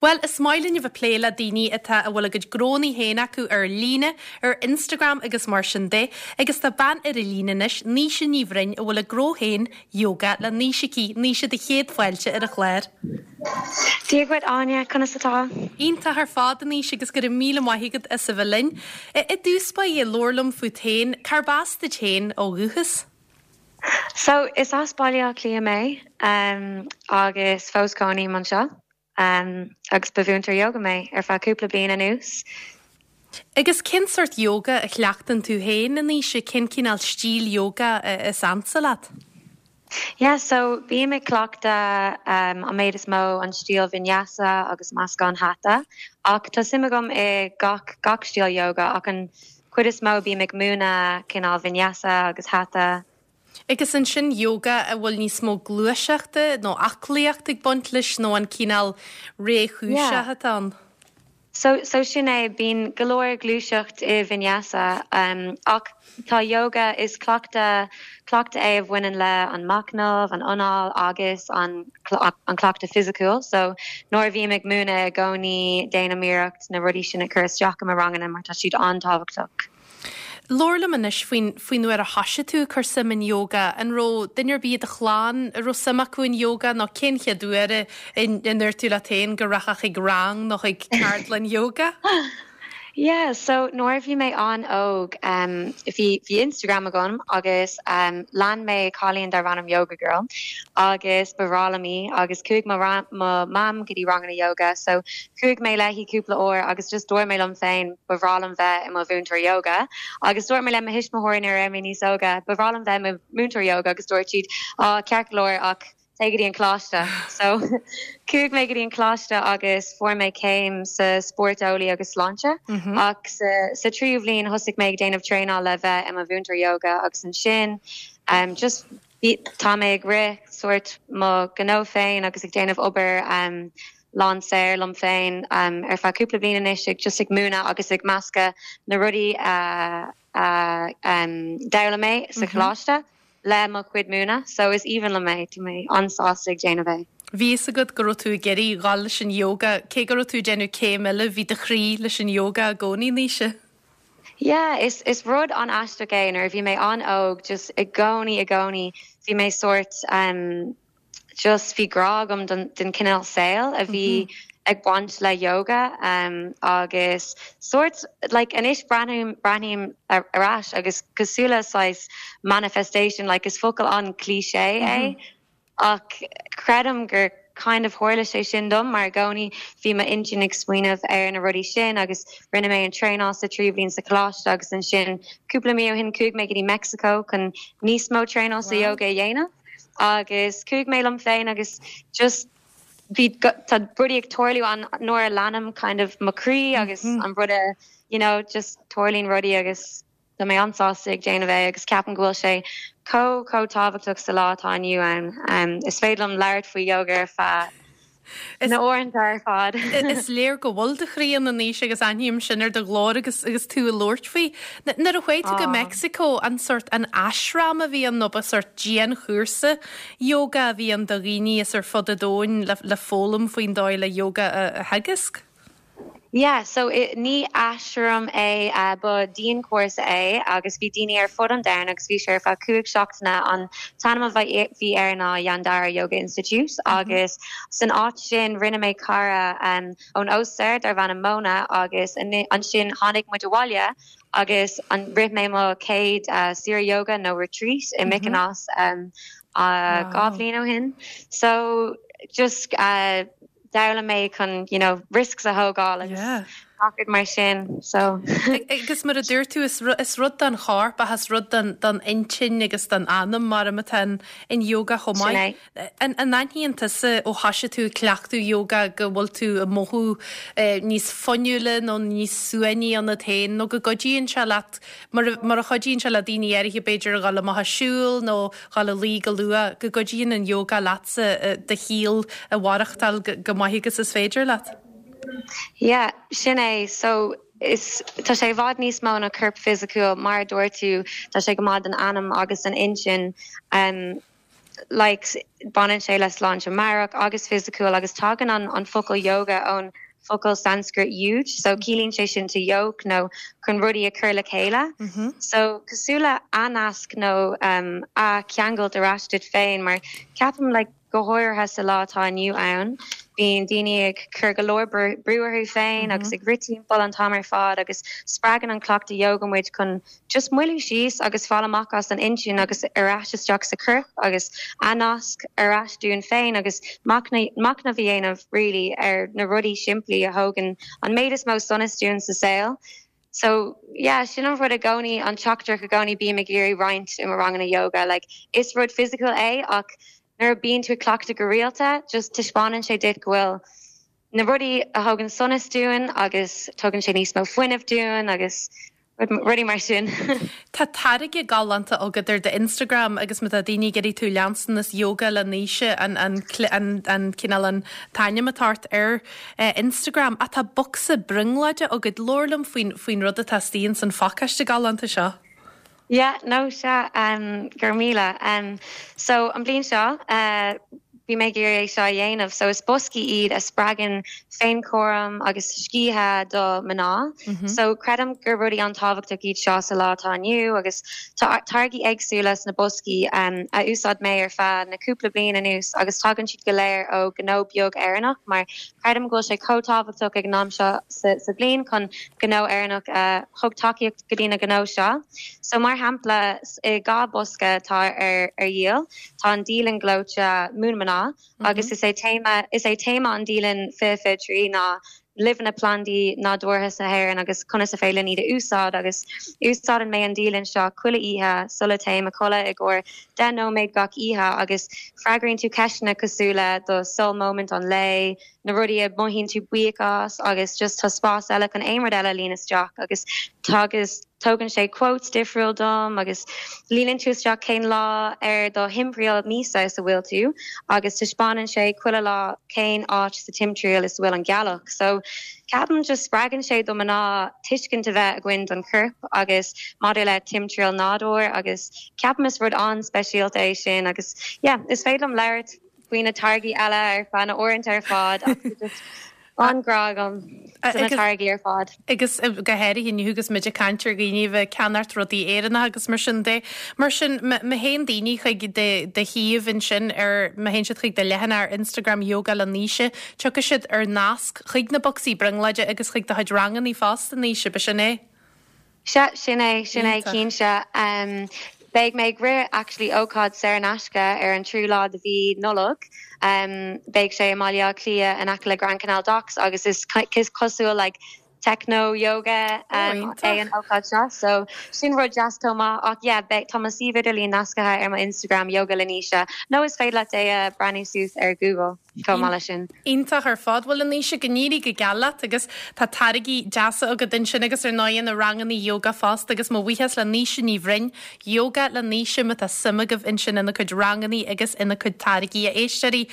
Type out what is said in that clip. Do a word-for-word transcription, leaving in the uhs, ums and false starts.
Well, is maith linn a bheith ag plé le daoine atá a bhfuil a gcuid gnónna féin acu ar líne, ar Instagram agus mar sin de, agus tá bean ar an líne anois, Naoise Ní Bhroin, a bhfuil a gnó féin Yoga le Naoise aici, Naoise do chéad fáilte ar an chlár. Dia dhuit Áine conas atá? Iontach ar fad Naoise agus go raibh míle maith agat as a bheith linn. I dtús báire labhair liom fút féin, cárb as duit féin ó dhúchas? So is as Baile Átha Cliath mé um, agus fós cónaím anseo. Um, agus ba mhúinteoir yoga mé ar feadh cúpla bliain anuas. Agus cén sórt yoga a chleachtann tú féin a Naoise cén cineál stíl yoga is ansa leat? Yeah, so bím ag cleachtadh um, an méid is mó an stíl vinyasa agus meascán hatha ach tá suim agam i gach gach stíl yoga ach an chuid is mó bím ag múineadh cineál vinyasa agus hatha. Agus ansin yoga a bhfuil níos mó gluaiseachta nó aclaíocht ag baint leis nó an cineál réchúiseach atá ann. So, so sin é bíonn go leor gluaiseacht i vinyasa um, ach tá yoga is cleachtadh cleachtadh é a bhaineann le an machnamh, an anáil agus an an cleachtadh fisiciúil, so nuair a bhím ag múineadh i gcónaí déanaim iarracht na rudaí sin a chur isteach i mo ranganna mar tá siad an-tábhachtach. Labhair liom anois faoin faoin uair a thosaigh tú ag cur suim in yoga an raibh duine ar bith i do chlann a raibh suim acu in yoga nó cén chéad uair a ndúirt tú leat féin go rachfá chuig rang nó chuig ceardlann yoga? Yeah, so nuair a bhí mé an-óg um, bhí bhí Instagram agam agus um, lean mé cailín darbh ainm yoga girl agus ba bhreá liom í agus chuaigh mo mam go dtí ranganna yoga so chuaigh mé léi cúpla uair agus just dúirt mé liom féin ba bhreá liom bheith i mo mhúinteoir yoga agus dúirt mé le mo thuismitheoirí nuair a bhí mé níos óige ba bhreá liom bheith i mo mhúinteoir yoga agus dúirt siad á ceart go leor ach téigh go dtí an coláiste. So chuaigh mé go dtí an coláiste agus fuair mé céim sa spórt eolaí agus sláinte mm -hmm. ach sa, sa tríú bhliain thosaigh mé ag déanamh traenáil le bheith i mo mhúinteoir yoga agus ansin um, just tá mé ag rith sort mo ghnó féin agus ag déanamh obair um, lán saor liom féin um, ar feadh cúpla bliain anois ag just ag múineadh agus ag meascadh na rudaí uh, uh, um, d'fhoghlaim mé sa mm -hmm. choláiste. le mo chuid múineadh, so is aoibhinn liom é tá mé an-sásta ag déanamh é. Bhí a fhios agat go raibh tú ag iarraidh dul leis an yoga, cé go raibh tú déanamh céim eile bhí do chroí leis an yoga i gcónaí Naoise. Yeah, is is rud an-aisteach é nuair bhí mé an-óg just i gcónaí i gcónaí bhí mé sort um, just bhí grá agam den, den cineál saoil a bhí mm -hmm. ag baint le yoga um, agus sort like anois breathnaím breathnaím ar ais agus cosúil le saghas manifestation like is focal an-cliché mm -hmm. é ach creidim gur kind of tharla sé sin dom mar i gcónaí bhí m'intinn ag smaoineamh ar na rudaí sin agus rinne mé an traenáil sa tríú bliain sa choláiste agus ansin cúpla mí ó shin chuaigh mé go dtí Mexico chun níos mó traenáil sa yoga a dhéanamh agus chuaigh mé liom féin agus just bhí tá rudaí ag tarlú an nuair a leanaim kind of mo chroí agus mm -hmm. an rud you know just tarlaíonn rudaí agus Tá mé an-sásta ag déanamh é agus ceapaim go bhfuil sé chomh chomh tábhachtach sa lá atá inniu ann. Um, is féidir liom labhairt faoi yoga ar feadh na uaireanta ar fad. Is léir go bhfuil do chroí ann anois agus aithním sin ar do ghlór agus agus tú ag labhairt faoi. Nuair a chuaigh tú go Mexico an sort an ashram a bhí ann nó ba sort dianchúrsa yoga a bhí ann do dhaoine is ar fud an domhain le, le foghlaim faoin dóigh le yoga a, a theagasc? Yeah, so it, ní ashram é uh, ba dianchúrsa é agus bhí daoine ar fud an domhain agus bhí sé ar feadh cúig seachtaine an t-ainm a bhí air ná Yandara Yoga Institute mm -hmm. agus san áit sin rinne mé cara um, ón Ostair darbh ainm Mona agus ansin tháinig muid abhaile agus an rith mé mo chéad uh, saoire yoga nó retreat i mm -hmm. Mykonos um, uh, dhá bhliain ó shin. So just uh, d'fhoghlaim mé chun you know risks a thógáil agus yeah. mar sin so agus mar a dúirt tú is is rud don chorp agus rud don don intinn agus don anam mar atá an yoga chomh maith. An aithníonn tusa ó thosaigh tú cleachtadh yoga go bhfuil tú ag mothú níos fuinniúla nó níos suaimhní ionat féin nó go gcuidíonn sé leat mar mar a chuidíonn sé le daoine áirithe b'fhéidir a dhul amach ag siúl nó dhul a luí go luath go gcuidíonn an yoga leatsa do shaol a mhaireachtáil go maith agus is féidir leat. Yeah, sin é so is tá sé i bhfad níos mó ná corp fisiciúil mar dúirt tú tá sé go maith don anam agus an intinn um, like baineann sé le sláinte meabhrach agus fisiciúil agus tagann an an focal yoga ón focal Sanskrit yuj so ciallaíonn sé sin to yoke nó chun rudaí a chur le chéile mm -hmm. so cosúil le nasc nó um, a cheangal ar ais duit féin mar ceapaim like go háirithe sa lá atá inniu ann bíonn daoine ag cur go leor brú orthu féin mm -hmm. agus ag rith timpeall an t-am ar fad agus spreagann an cleachtadh yoga muid chun just moilliú síos agus fáil amach as an intinn agus ar ais isteach sa chorp agus nasc ar ais dúinn féin agus machnamh a dhéanamh really ar na rudaí simplí a thugann an méid is mó sonas dúinn sa saol. So yeah, sin an rud i gcónaí an teachtaireacht i gcónaí bím ag iarraidh roinnt i mo ranganna yoga, like, is rud physical é ach nuair a bíonn tú cleachtadh go rialta, just taispeánann sé duit go bhfuil na rudaí a thugann sonas dúinn agus tugann sé níos mó fuinnimh dúinn agus rudaí mar sin. Tá táirge galánta agat ar do Instagram agus má tá daoine ag iarraidh tú leanstan is yoga le Naoise an an an an cineál an t-ainm atá ar eh, Instagram a tá bocsa brionglóide agat labhair liom faoin faoin rud atá istigh san phacáiste galánta seo. Yeah, no sea um, gur míle. Um, so an bliain seo uh, bhí mé ag iarraidh é seo a dhéanamh, so is boscaí iad a spreagann féinchúram agus scíthe do mná. Mm -hmm. So creidim gur rudaí an-tábhachtach iad seo sa lá atá inniu agus táirgí éagsúla sna boscaí um, a úsáid mé ar feadh na cúpla bliain anuas agus tagann siad go léir ó gnó beag Éireannach mar creidim go bhfuil sé chomh tábhachtach ag an am seo sa, sa bhliain chun gnó Éireannach uh, thug tacaíocht go dtí na gnó seo. So mar shampla i dhá bosca tá ar ar dhíol tá an dialann gleoite Moon Mná mm -hmm. agus is é téama is é téama an dialann fiche fiche trí ná luibheanna plandaí nádúrtha na hÉireann agus conas is féidir iad a úsáid agus úsáideann mé an dialann seo chuile oíche sula dtéim a chodladh i gcomhair deich nóiméad gach oíche agus freagraíonn tú ceisteanna cosúil le do soul moment an lae, na rudaí a mothaíonn tú buíoch as agus just tá spás eile chun aon rud eile líon isteach agus agus tugann sé quotes difriúil dom agus líonann tú isteach cén lá ar do thimthriall míosa is a bhfuil tú agus taispeánann sé chuile lá cén áit sa timthriall is bhfuil an gealach. So ceapaim just spreagann sé do mná tuiscint a bheith againn don chorp agus maidir le timthriall nádúr agus ceapaim is rud an-speisialta é sin agus yeah, is féidir liom labhairt faoi na táirgí eile ar feadh na uaireanta ar fad an-ghrá agam na táirgí ar fad. Agus go háirithe inniu agus muid ag caint ar dhaoine bheith ag ceannacht rudaí Éireannacha agus mar sin de mar sin má théann daoine chuig do shuíomh ansin ar má théann siad chuig do leathanach ar Instagram yoga le Naoise, tiocfaidh siad ar nasc chuig na bocsaí brionglóide agus chuig do chuid ranganna fosta Naoise b'shin é. Sea sin é sin é cinnte. Um, Beidh mé ag rith actually ócáid saor in aisce ar an tríú lá de mhí Nollag. Um, beidh sé i mBaile Átha Cliath in aice le Grand Canal Docks agus is cosúil like, techno yoga um, é an ócáid seo so sin rud deas maith ach yeah, beidh tá mo suíomh idirlín nasctha ar mo Instagram yoga le Naoise nó is féidir leat é a breathnú suas ar Google chomh maith leis sin. Iontach ar fad bhuel a Naoise go n-éirí go geal leat agus tá táirgí deasa agat ansin agus ar ndóigh na ranganna yoga fosta agus mo bhuíochas le Naoise Ní Bhroin, yoga le Naoise má tá suim agaibh ansin ina cuid ranganna agus ina cuid táirgí a éisteoirí.